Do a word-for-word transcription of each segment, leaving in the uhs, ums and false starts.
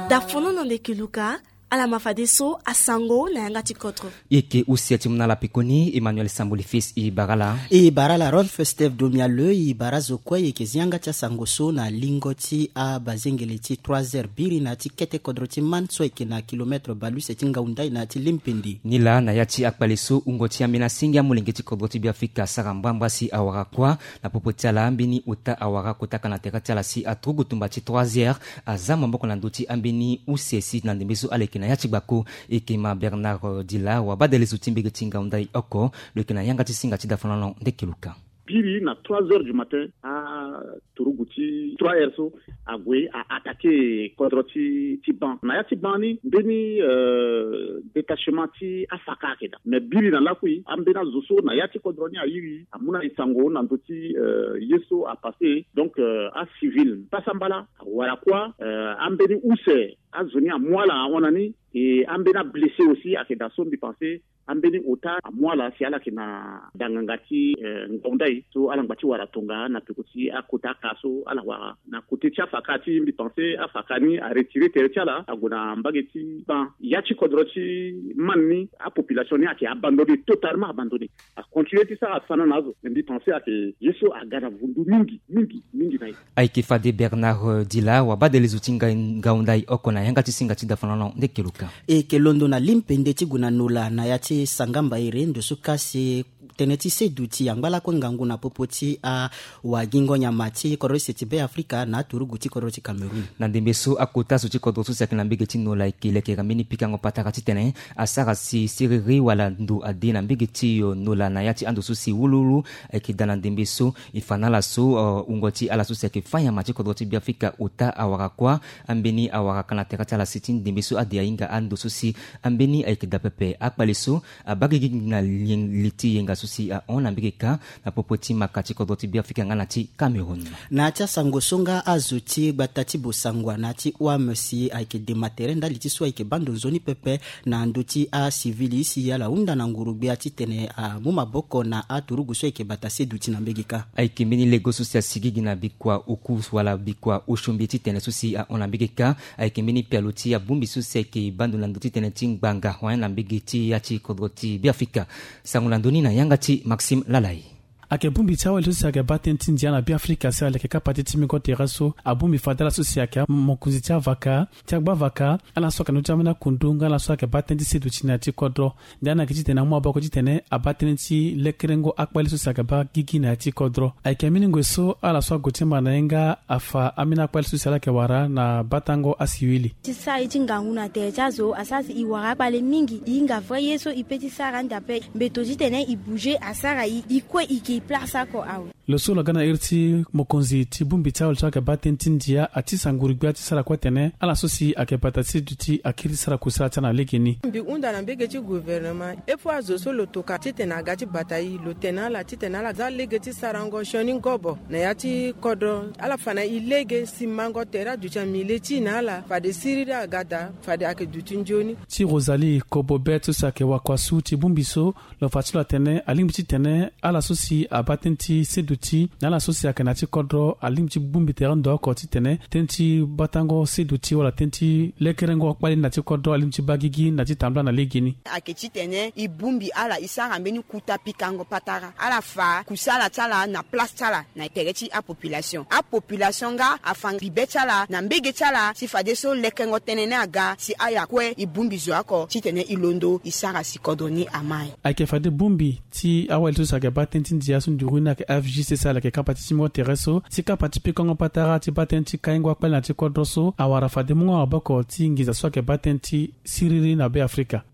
Dafono na ndeke luka. Ala ma fadeso asango na yanga ti kodro. Eke use ti mu na ala pekoni Emmanuel Samboli fils e bara ala. E bara ala Rolf Steve Domiale, e bara azo kue e yeke zi yanga ti asango so na lingo ti abazengele ti trois heures biri na ya ti kete kodro ti Man so ayeke na kilomètre baleuse ti ngau ndai na ya ti Limpindi. Nilaa na ya ti akpale so wungo ti ambeni asenge amolenge ti kodro ti Beafrika asara mbrambra si awara kuâ. Na popo ti ala ambeni ota awara kota ka na tere ti ala si aturugu tumba ti trois heures aza maboko na ndö ti ambeni use si na ndembe so ala yeke na ya ti gbako. Eke ma Bernard Dila wabadele zo ti mbege ti ngau ndai oko lo yeke na yanga ti singa ti dafanolo ndeke luka. Biri na trois heures du matin aturugu ti trois heures so ague a attaquer kodro ti ti Ban. Na ya ti Ban ni mbeni détachement ti afaka ayeke daa. Mais biri na lakui ambeni azo so na ya ti kodro ni airi amu na e sango na ndö ti ye so apasse. Donc acivil pasa mbala awara kuâ. Ambeni use azo ni amu ala ahon na ni. E ambeni ablessé aussi ayeke daa so mbi pense ambeni ota amu ala si ala yeke na danganga ti ngau ndai so ala ngba ti wara tonga na peko ti akota aka so ala wara na kote ti afaka ti mbi pense afaka ni aretire tere ti ala ague na mbage ti Ban. Ya ti kodro ti Man ni apopulation ni ayeke abandonné, totalement abandonné. Acontinué ti sara sana na azo. Mais mbi pense ayeke ye so aga na vundu mingi mingi mingi na e. Ayeke fade Bernard Dila wabadele zo ti ngau ndai oko na yanga ti singa ti dafanolo ndeke luka. E yeke londo na Limpindi ti gue na Nola na ya ti Sangamba ere ndo so ka si tënë ti seduti angba lakue ngangu na popo ti awagingo nyama ti kodro ti se ti Beafrika na aturugu ti kodro ti Cameroun. Na ndembe so akota zo ti kodro so si ayeke na mbege ti Nola ayeke lekere mbeni pikango patara titene asara si siriri wala ndo ade na mbege ti Nola na ya ti ando so si wuluwulu ayeke daa na ndembe so. E fa na ala so wungo ti ala so si ayeke fâ nyama ti kodro ti Beafrika ota awara kuâ. Ambeni awara ka na tere ti ala si ti ndembe so ade ahinga ando so si ambeni ayeke daa pepe. Akpale so abaa gigi na li ti yenga so si ahon na mbege kâ na popo ti maka ti kodro ti Beafrika nga na ti Cameroun. Na ya ti asango so nga azo ti gbata ti Bosangwa na ya ti O M si ayeke dema tere ndali ti so ayeke baa ndo nzoni pepe na ndö ti acivil si ala hunda na nguru-gbia titene amu maboko na aturugu so ayeke bata seduti na mbege kâ. Ayeke mbeni lego so si asigi gi na bikua oku wala bikua osombi titene so si ahon na mbege kâ. Ayeke mbeni pialo ti abongbi so si ayeke baa ndo na ndö ti tënë ti ngbanga hon na mbege ti ya ti kodro ti Beafrika. Sango na ndö ni na yanga ti Maxime Lalai. Ayeke bongbi ti awali so si ayeke baa tënë ti ndia na Beafrika si ala yeke kapa ti timbingo tere so abongbi fade ala so si ayeke amokonzi ti avaka ti agbavaka, ala so ayeke na ndö ti ambeni akundu nga ala so ayeke baa tënë ti seduti na ya ti kodro. Ndia ni ayeke titene amu maboko titene abaa tënë ti lekerengo akpale so si ayeke baa gigi na ya ti kodro. Ayeke mbeni ngoi so ala so ague ti mba na ye nga afa ambeni akpale so si ala yeke wara na batango asiwili. Ti sara ye ti ngangu na tere ti azo asara si e wara akpale mingi, e hinga vrai ye so e pe ti sara ande ape. Mbeto titene e bouger asara e, e kue e yeke e place oko awe. Lo so lo ga na iri ti mokonzi ti bongbi ti awali so ayeke baa tënë ti ndia ati sanguru gbia ti sara kue tene ala so si ayeke bata ti seduti akiri ti sara kusala ti ala na legeni. Mbi hunda na mbege ti gouvernement, e fo azo so lo toka titene aga ti bata e, lo tene ala titene ala za lege ti sarango sioni ngobo na ya ti kodro. Ala fa na e lege simango tere aduti amillet ti e na ala, fade siriri aga daa, fade ayeke duti nzoni. Ti Rosalie Kobobet so si ayeke wakua su ti bongbi so, lo fa ti lo atene alingbi titene ala so si abaa tënë ti seduti na ala so si ayeke na ya ti kodro alingbi ti bongbi tere ndo oko titene tënë ti batango seduti wala tënë ti lekerengo kpale na ya ti kodro alingbi ti baa gigi na ya ti tambula na legeni. Ayeke titene e bongbi ala e sara mbeni kuta pikango patara, ala fa kusala ti ala na place ti ala na tere ti apopulation. Apopulation nga afa bibe ti ala na mbege ti ala si fadeso lekengo tënë ni aga si ala kue e bongbi zo oko titene e londo e sara si kodro ni amai. Ayeke fade bongbi ti awali so si ayeke baa tënë ti ndia so nduru ni ayeke F J C C ala yeke kapa ti timbingo tere so ti kapa ti pikango patara ti baa tënë ti kaingo akpale na ya ti kodro so awara fade mungo maboko ti nginza so ayeke baa tënë ti siriri na Beafrika.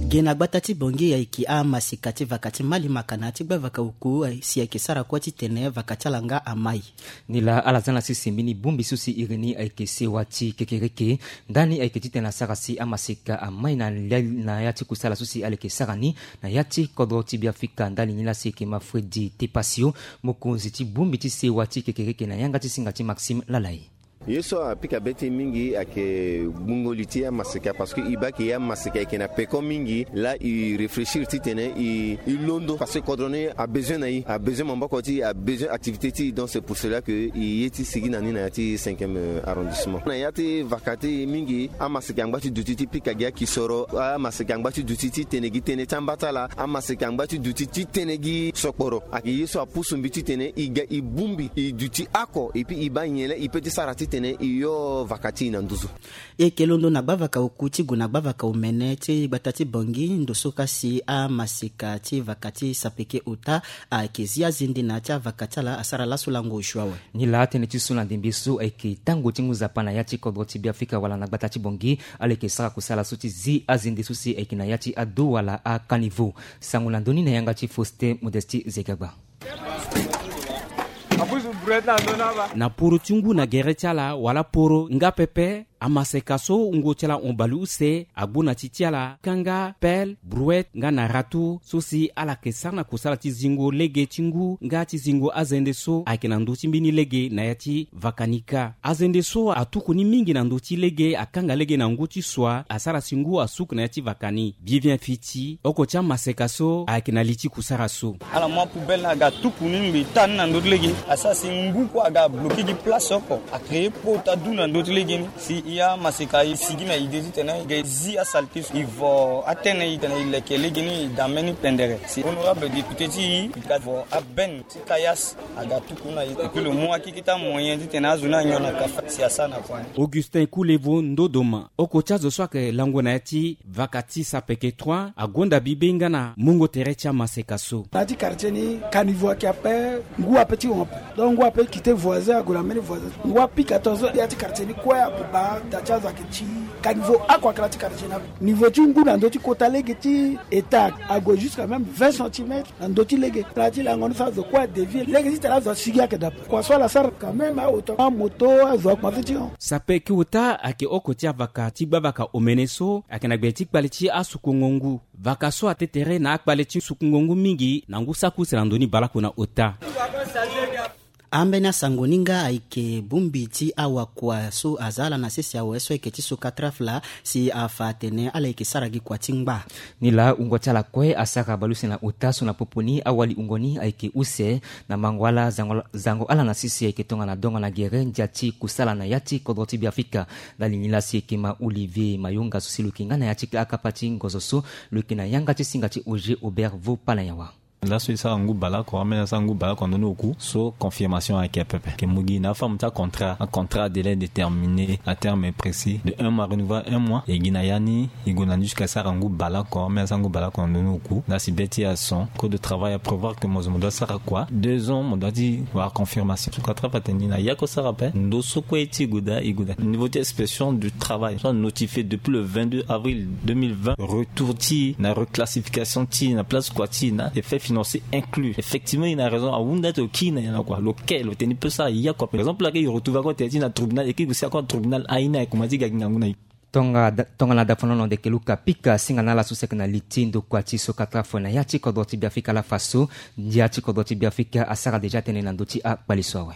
Ge na gbata ti Bangui ayeke amaseka ti vaka ti malimaka na ya ti gbavaka oku si ayeke sara kue titene vaka ti ala nga amai. Nilaa ala za na sese mbeni bongbi so si iri ni ayeke sewa ti kekereke. Ndani ayeke titene asara si amaseka amai na ya ti kusala so si ala yeke sara ni na ya ti kodro ti Beafrika. Ndali ni laa si ayeke ma Fredi Tepasio, mokonzi ti bongbi ti sewa ti kekereke na yanga ti singa ti Maxime Lalai. Ye so apika be ti e mingi ayeke gbungo li ti amaseka, parce que e baa ke amaseka ayeke na peko mingi laa e réfléchir titene e e londo, parce que kodro ni abezoin na e, abezoin maboko ti e, abezoin activité ti e. Donc c'est pour cela que e ye ti sigi na ni na ya ti cinquième arrondissement. Na ya ti vaka ti e mingi amaseka angba ti duti ti pika gi akisoro, amaseka angba ti duti ti tene gi tënë ti amba ti ala, amaseka angba ti duti ti tene gi sokporo. Ayeke ye so apusu mbi titene e ga e bongbi e duti oko, et puis e baa nyen laa e peut ti sara titene e yo vaka ti e na nduzu. E yeke londo na gbavaka oku ti gue na gbavaka omene ti gbata ti Bangui, ndo so ka si amaseka ti vaka ti sapeke ota ayeke zi azende na ya ti avaka ti ala asara laso lango osio awe. Nilaa tënë ti so na ndembe so ayeke tango ti ngu nzapa na ya ti kodro ti Beafrika wala na gbata ti Bangui, ala yeke sara kusala so ti zi azende so si ayeke na ya ti ado wala akaniveau. Sango na ndö ni na yanga ti Faustin Modestie Zegagba. Na poro ti ngu na gere ti ala wala poro nga pepe, amaseka so wungo ti ala hon baleuse, agbu na ti ti ala kanga pelle, brouette nga na râteau so si ala yeke sara na kusala ti zingo lege ti ngu nga ti zingo azende so ayeke na ndö ti mbeni lege na ya ti vaka ni kâ. Azende so atuku ni mingi na ndö ti lege, akanga lege na ngu ti sua, asara si ngu asuku na ya ti vaka ni. Bivien Fiti, oko ti amaseka so ayeke na li ti kusara so. Ala mu apoubelle ni aga tuku ni ngbe taa ni na ndö ti lege. Asara si ngu kue aga bloqué gi place oko. Acréé po ota du na ndö ti lege ni. Si e amaseka e sigi na idée titene e ga e zi asalté so. E vo atene e tene e leke lege ni e da mbeni pendere. Si honorable député ti e, e ga vo abene ti caillasse aga tuku na e. Et puis lo mu akeke ti amoyen titene azo ni anyon na kafa si asara na kua ni. Augustin Koulevo Ndodoma, oko ti azo so ayeke lango na ya ti vaka ti sapeke trois, agonda bibe nga na mungo tere ti amaseka so. Na ya ti quartier ni, caniveau ayeke ape, ngu ape ti hon ape. Donc ngu ape quitté voisin ague na mbeni voisin. Ngu apika tongaso ya ti quartier ni kue ague baa da ti azo ayeke ti caniveau oko ayeke na ya ti quartier ni ape. Niveau ti ngu na ndö ti kota lege ti état ague jusqu'à même vingt centimètres na ndö ti lege. Ala ti lango ni so azo kue adévier lege titene azo asigi ayeke dape. Kua so ala sara quand même aoto amoto azo akuma fini ti hon. Sapeke ota ayeke oko ti avaka ti gbavaka omene so ayeke na gbe ti kpale ti asukungo ngu. Vaka so atene tere na akpale ti sukungo ngu mingi na ngu saki use na ndö ni baleoko na ota. Ambeni asango ni nga ayeke bongbi ti awakua so aza ala na sese awe so ayeke ti Sokatraf laa si afa atene ala yeke sara gi kua ti ngba. Nilaa wungo ti ala kue asara baleuse na ota so na popo ni awali wungo ni ayeke use na mango ala zango, zango ala na sese ayeke tongana dongo na gere ndia ti kusala na ya ti kodro ti Beafrika. Ndali ni laa si ayeke ma Olivier Mayonga so si lo yeke nga na ya ti akapa ti ngozo so, lo yeke na yanga ti singa ti Auger Aubert Vopalayawa. Laso e sara ngu baleoko, ambeni asara ngu baleoko na ndö ni oku so confirmation ayeke pepe. Ayeke mu gi na aforme ti acontrat, acontrat à délai déterminé, à terme précis de un mois renouvelable un mois. E gi na ya ni e gue na ni jusqu'à sara ngu baleoko, ambeni asara ngu baleoko na ndö ni oku. Laa si be ti e ason, code de travail aprévoir que mo zo mo doit sara kua deux ans, mo doit ti wara confirmation. Sokatraf atene ni na ya kue sara ape, ndo so kue ti e gue daa e gue daa. Niveau ti inspection du travail so a notifié depuis le vingt-deux avril deux mille vingt, retour ti e na reclassification ti e na place kua ti e na effet financier inclus. Effectivement e na raison, ahunda ti lo kiri na nyen na kua, lo ke lo tene ni peut sara ya kua. Par exemple lake e retrouve encore tene ti e na tribunal, e kiri gue si encore tribunal aye ni aye kuma ti ga gi ngangu na e. Tonga da, tongana dafonono ndeke luka pika singa na ala so si ayeke na li ti ndokua ti Sokatraf na ya ti kodro ti Beafrika ala fa so ndia ti kodro ti Beafrika asara déjà tënë na ndö ti akpale so awe.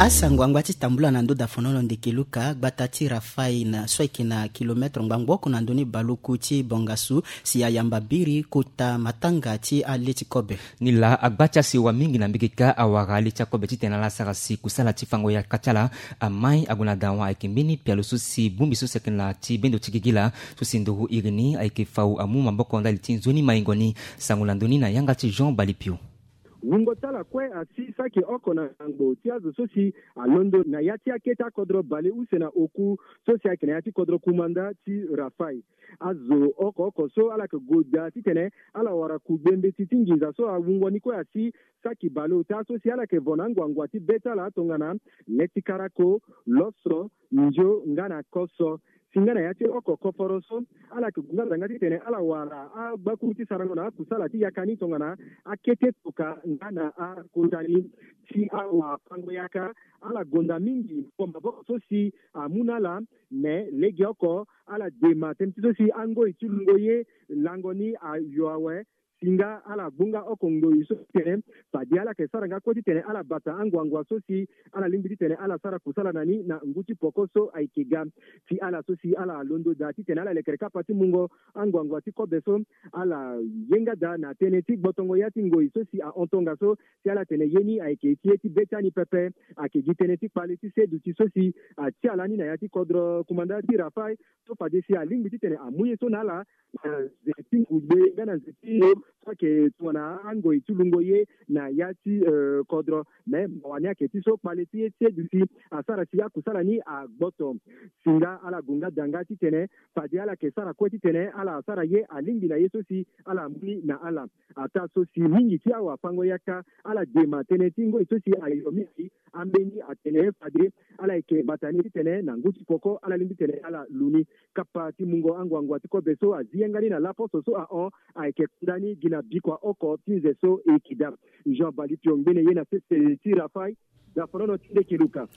Asango angba ti tambula na ndö dafonono ndeke luka, gbata ti Rafai na so ayeke na kilometre ngbangbo oko na ndö ni baleoku ti Bongasu si ayamba biri kota matanga ti ale ti kobe. Nilaa agba ti asewa mingi na mbege kâ awara ale ti akobe titene ala sara si kusala ti fango yaka ti ala amai ague na dawa. Ayeke mbeni pialo so si bongbi so si ayeke na ti bendo ti gigi laa so si nduru iri ni ayeke fau amu maboko ndali ti nzoni maingo ni. Sango na ndö ni na yanga ti Jean Balipio. Wungo ti ala kue asi saki oko na ngbangbo ti azo so si alondo na ya ti akete akodro baleuse na oku so si ayeke na ya ti kodro kumanda ti Rafai. Azo oko oko so ala yeke gue daa titene ala wara kugbe mbeti ti nginza so awungo ni kue asi saki baleota so si ala yeke vo na anguangua ti be ti ala tongana le ti karako, loso, ndio nga na koso. Si nga na ya ti oko koforo so ala yeke gue nga zanga titene ala wara agbakuru ti sarango na akusala ti yaka ni tongana akete toka nga na akota ni. Si awafango yaka ala gonda mingi maboko so si amu na ala, me legeoko ala dema tënë ti so si angoi ti lungo ye lango ni ayo awe. Si nga ala gbunga oko ngoi so titene fade ala yeke sara nga kue titene ala bata anguangua so si ala lingbi titene ala sara kusala na ni na ngu ti poko so ayeke ga. Si ala so si ala londo daa titene ala lekere kapa ti mungo anguangua ti kobe so, ala ye nga daa na tënë ti gbotongo ya ti ngoi so si ahon tongaso. Si ala tene ye ni ayeke ti ye ti be ti ani pepe, ayeke gi tënë ti kpale ti seduti so si atia lani na ya ti kodro kumanda ti Rafael, so fade si alingbi titene amu ye so na ala na nze ti ngugbe nga na nze ti lo so ayeke tongana angoi ti lungo ye na ya ti kodro. Me mawa ni ayeke ti so kpale ti ye ti seduti asara si akusala ni agboto. Si nga ala gue nga daa nga titene fade ala yeke sara kue titene ala sara ye alingbi na ye so si ala mu ni na ala. Ataa so si mingi ti awafango-yaka ala dema tënë ti ngoi so si ayo mingi. Ambeni atene fade ala yeke bata ni titene na ngu ti poko ala lingbi titene ala lu ni. Kapa ti mungo anguangua ti kobe so azi yanga ni na laposo so ahon ayeke kunda ni gi na bikua oko ti nze so e yeke daa. Jean Balipion ngbene ye na sese ti Rafael. Dafonono ti ndeke luka.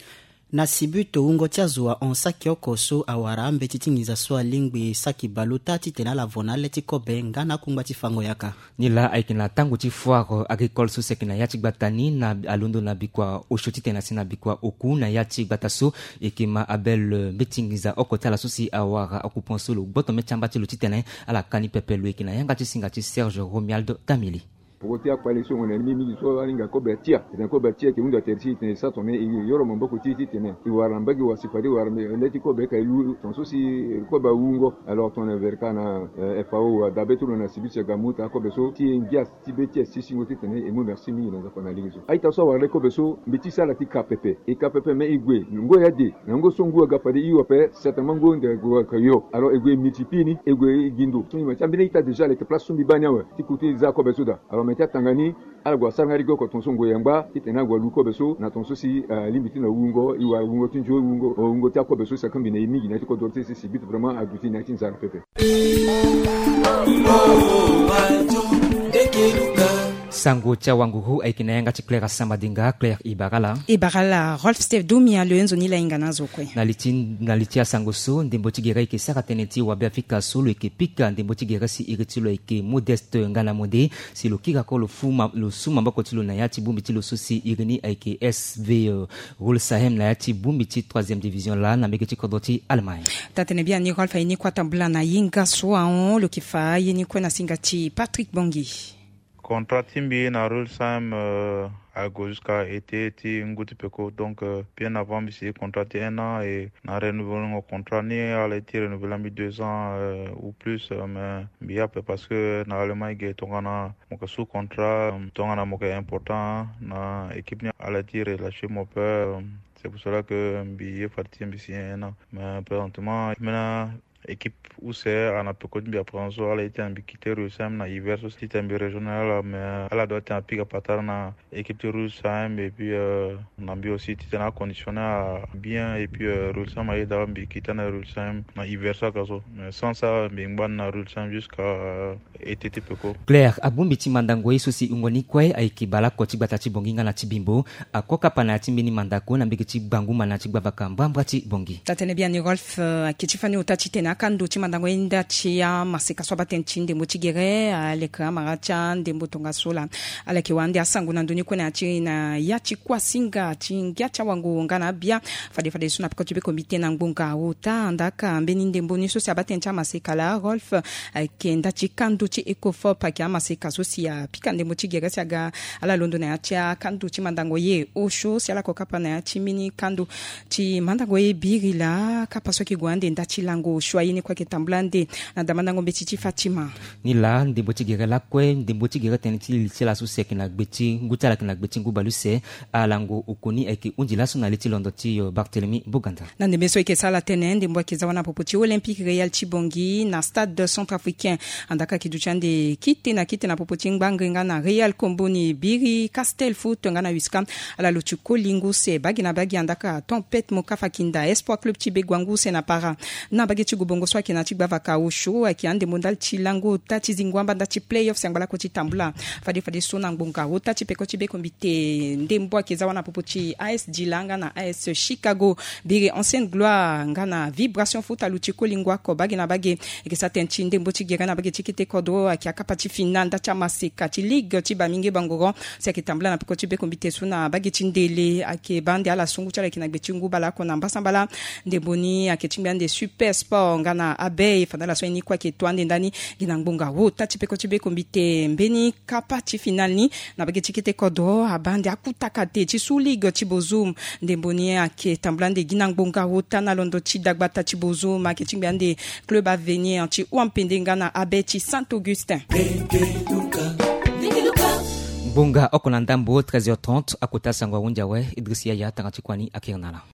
Na sibu to wungo ti azo ahon saki oko so awara ambeti ti nginza so alingbi saki baleota titene ala vo na ale ti kobe nga na akungba ti fango-yaka. Nilaa ayeke na tango ti foire agricole so si ayeke na ya ti gbata ni na alondo na bikua osio titene asi na bikua oku na ya ti gbata so. Eke ma abel mbeti nginza oko ti ala so si awara akupan so lo gboto mê ti amba ti lo titene ala ka ni pepe. Lo yeke na yanga ti singa ti Serge Romuald Tamili. Poko ti akpale so mo na ni mingi so ahinga kobe atia titene kobe atia eke hunzi atere ti e titene e sara tongana e yoro maboko ti e titene e wara na mbage wasi fade e wara le ti kobe ka e lu tongaso si kobe awungo. Alors tongana verka na F A O adabe ti lo na sibi ti agamu taa kobe so ti e ngia ti be ti e si singo titene e mu merci mingi na nzapa na lege so. A-ita so awara le kobe so mbi ti sara ti ka pepe e ka pepe me e gue ngoi ade na ngoi so ngu aga fade e hio ape certainement ngoi ande ague ayeke hio. Alors e gue e multiplie ni e gue e gi ndo so ni ma ti ambeni a-ita déjà aleke place so mbi baa ni awe ti kutu e za kobe so daa. Alors me ti atanga ni ala gue asara nga lege oko tongaso ngoi angba titene ala gue alu kobe so na tongaso si alingbi ti na wungo e wara wungo ti nzio wungo wungo ti akobe so si akangbi na e mingi na ya ti kodro ti e si si but vraiment aduti na ya ti nzara pepe. Sango ti awanguru ayeke na yanga ti Claire Asamba Dinga. Claire, e bara ala. E bara ala Rolf Steve Dumia lo ye nzoni lahinga na azo kue. Na li ti na li ti asango so ndembo ti gere ayeke sara tënë ti wabe Afrika so lo yeke pika ndembo ti gere si iri ti lo ayeke Modeste nga na Mode. Si lo kiri ako lo fu ma lo su maboko ti lo na ya ti bongbi ti lo so si iri ni ayeke S V Rulsheim na ya ti bongbi ti troisième division laa na mbege ti kodro ti Allemagne. Taa-tënë biani Rolf aye ni kue atambula na hinga so ahon lo yeke fa ye ni kue na singa ti Patrick Bongi. Contrat ti mbi na Rulsheim ague jusqu'à été ti ngu ti peko. Donc bien avant mbi signer contrat ti un an et na renouveler contrat ni ala ye ti renouveler mbi deux ans ou plus. Mais mbi ye ape parce que na Allemagne ge tongana mo yeke su contrat tongana mo yeke important na équipe ni ala ye ti relâcher mo ape. C'est pour cela que mbi ye fade ti mbi signer un an. Mais présentement mbi na équipe use ana peko ti mbi apre so ala ye ti na mbi quitter Rulsheim na hiver so titene mbi rejoindre ala mais ala doit ti na pika patara na équipe ti Rulsheim et puis na mbi aussi titene aconditionner bien et puis Rulsheim ayeda mbi quitter na Rulsheim na hiver so aga so. Mais sans ça mbi ngba ni na Rulsheim jusqu'à été ti peko. Claire, abongbi ti mandango ye so si wungo ni kue ayeke baleoko ti gbata ti Bongi nga na ti Bimbo. Ako kapa na ya ti mbeni mandako na mbege ti gbanguma na ya ti gbavaka mbrambra ti Bongi. Taa-tënë biani Rolf. Ayeke ti fani ota titene akando ti mandango ye nda ti amaseka so abaa tënë ti ndembo ti gere aleke amara ti andembo tongaso laa. Ala yeke wara ande asango na ndo ni kue na ya ti na ya ti kuasinga ti ngia ti awango nga na abia. Fade fade so na peko ti beko mbi tene na ngbonga ota andaka mbeni ndembo ni so si abaa tënë ti amaseka laa Rolf. Ayeke nda ti kando ti Ecofop ayeke amaseka so si apika ndembo ti gere si aga ala londo na ya ti akando ti mandango ye osio si ala ko kapa na ya ti mbeni kando ti mandango ye biri laa kapa so ayeke gue ande nda ti lango osio aye ni kue ayeke tambula ande na damandango mbeti ti Fatima. Ni laa ndembo ti gere lakue ndembo ti gere tënë ti li ti ala so si ayeke na gbe ti ngu ti ala ayeke na gbe ti ngu baleuse. Alango okoni ayeke hundi laso na li ti londo ti Barthélemy Boganda. Na ndembe so e yeke sara tënë ndembo ayeke za wâ na popo ti Olympique Real ti Bongi na stade centrafricain. Andaka ayeke duti ande kite na kite na popo ti ngbangre nga na Real Komboni, Biri, Castel Foot nga na Whiskas. Ala luti koli ngu use bagi na bagi andaka Tempête Mokafakinda, Espoir Club ti Begoua ngu use na Para. Na bage ti gobo Bongo so ayeke na ti gbavaka osio ayeke andembo ndali ti lango ota ti zingo amba ndali ti playoff si angba lako ti tambula. Fade fade so na ngbonga ota ti peko ti bekombite ndembo ayeke za wâ na popo ti A S Dila nga na A S Chicago, biri Ancienne Gloire nga na Vibration Foot aluti kolingo ako bage na bage. Ayeke sa tene ti ndembo ti gere na bage ti kete kodro ayeke akapa ti finale ndali ti amaseka ti ligue ti bamingi bangoro si ayeke tambula na peko ti bekombite so na bage ti ndele ayeke baa nde ala sungu ti ala ayeke na gbe ti ngu baleoko na mbasambala. Ndembo ni ayeke ti ngbia nde Super Sport nga na Abei fandala so aye ni kue ayeke to ande ndani. Gi na ngbonga ota ti peko ti bekombite mbeni kapa ti finale ni na bage ti kete kodro abaa nde akutaka te ti su ligue ti Bozoum. Ndembo ni ayeke tambula nde gi na ngbonga ota na londo ti dagbata ti Bozoum ayeke ti ngbia nde Club Avenir ti Ouampende nga na Abei ti Saint Augustin. Ngbonga oko na ndambo treize heures trente akota sango ahunzi awe. Idriss Yaya tanga ti kua ni akiri na ala.